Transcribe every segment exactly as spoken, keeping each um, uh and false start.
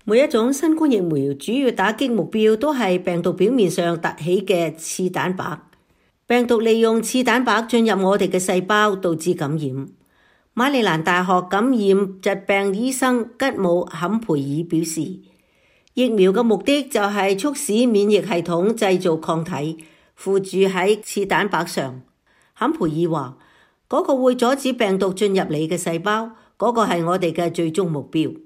每一種新冠疫苗主要打擊目標都係病毒表面上凸起嘅刺蛋白。病毒利用刺蛋白進入我哋嘅細胞，導致感染。馬里蘭大學感染疾病醫生吉姆坎培爾表示，疫苗嘅目的就係促使免疫系統製造抗體，附住喺刺蛋白上。坎培爾話，嗰個會阻止病毒進入你嘅細胞，嗰個係我哋嘅最終目標。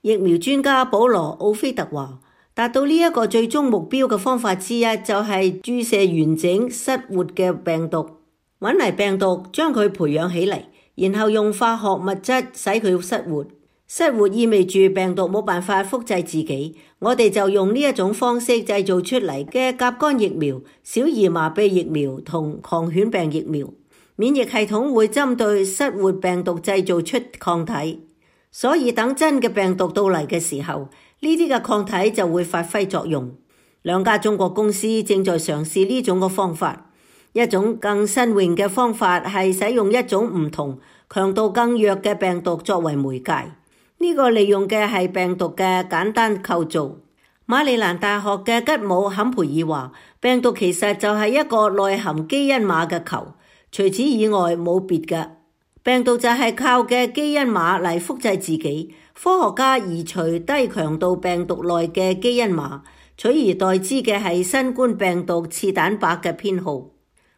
疫苗專家保羅奧菲特話，達到呢一個最終目標嘅方法之一就係注射完整失活嘅病毒，搵嚟病毒將佢培養起嚟，然後用化學物質使佢失活。失活意味住病毒冇辦法複製自己，我哋就用呢一種方式製造出嚟嘅甲肝疫苗、小兒麻痹疫苗同狂犬病疫苗。免疫系統會針對失活病毒製造出抗體，所以等真嘅病毒到嚟嘅時候，呢啲嘅抗體就會發揮作用。兩家中國公司正在嘗試呢種嘅方法。一種更新穎嘅方法係使用一種唔同、強度更弱嘅病毒作為媒介。呢個利用嘅係病毒嘅簡單構造。馬里蘭大學嘅吉姆坎培爾話，病毒其實就係一個內含基因碼嘅球，除此以外冇別嘅。病毒就係靠嘅基因碼嚟複製自己。科學家移除低強度病毒內嘅基因碼，取而代之嘅係新冠病毒刺蛋白嘅編號。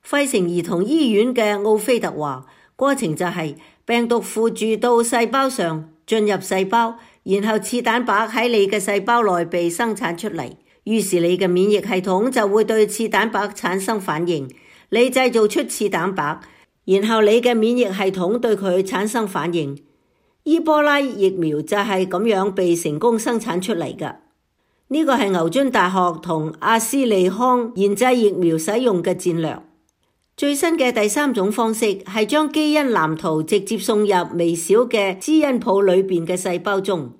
費城兒童醫院嘅奧菲特話，過程就係病毒附住到細胞上，進入細胞，然後刺蛋白喺你嘅細胞內被生產出嚟，於是你嘅免疫系統就會對刺蛋白產生反應，你製造出刺蛋白，然後你嘅免疫系統對佢產生反應。伊波拉疫苗就係咁樣被成功生產出嚟㗎。呢個係牛津大學同阿斯利康研製疫苗使用嘅戰略。最新嘅第三種方式係將基因藍圖直接送入微小嘅基因譜裏邊嘅細胞中。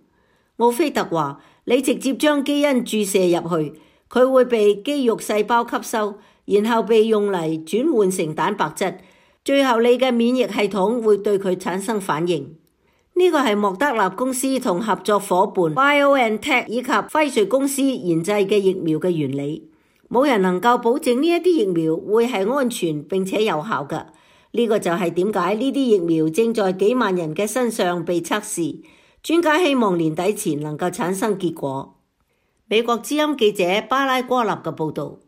奧菲特話，你直接將基因注射入去，佢會被肌肉細胞吸收，然後被用嚟轉換成蛋白質，最後你嘅免疫系統會對佢產生反應。呢個係莫德納公司同合作夥伴 BioNTech 以及輝瑞公司研製嘅疫苗嘅原理。冇人能夠保證呢一啲疫苗會係安全並且有效嘅。呢個就係點解呢啲疫苗正在幾萬人嘅身上被測試。專家希望年底前能夠產生結果。美國之音記者巴拉戈納嘅報導。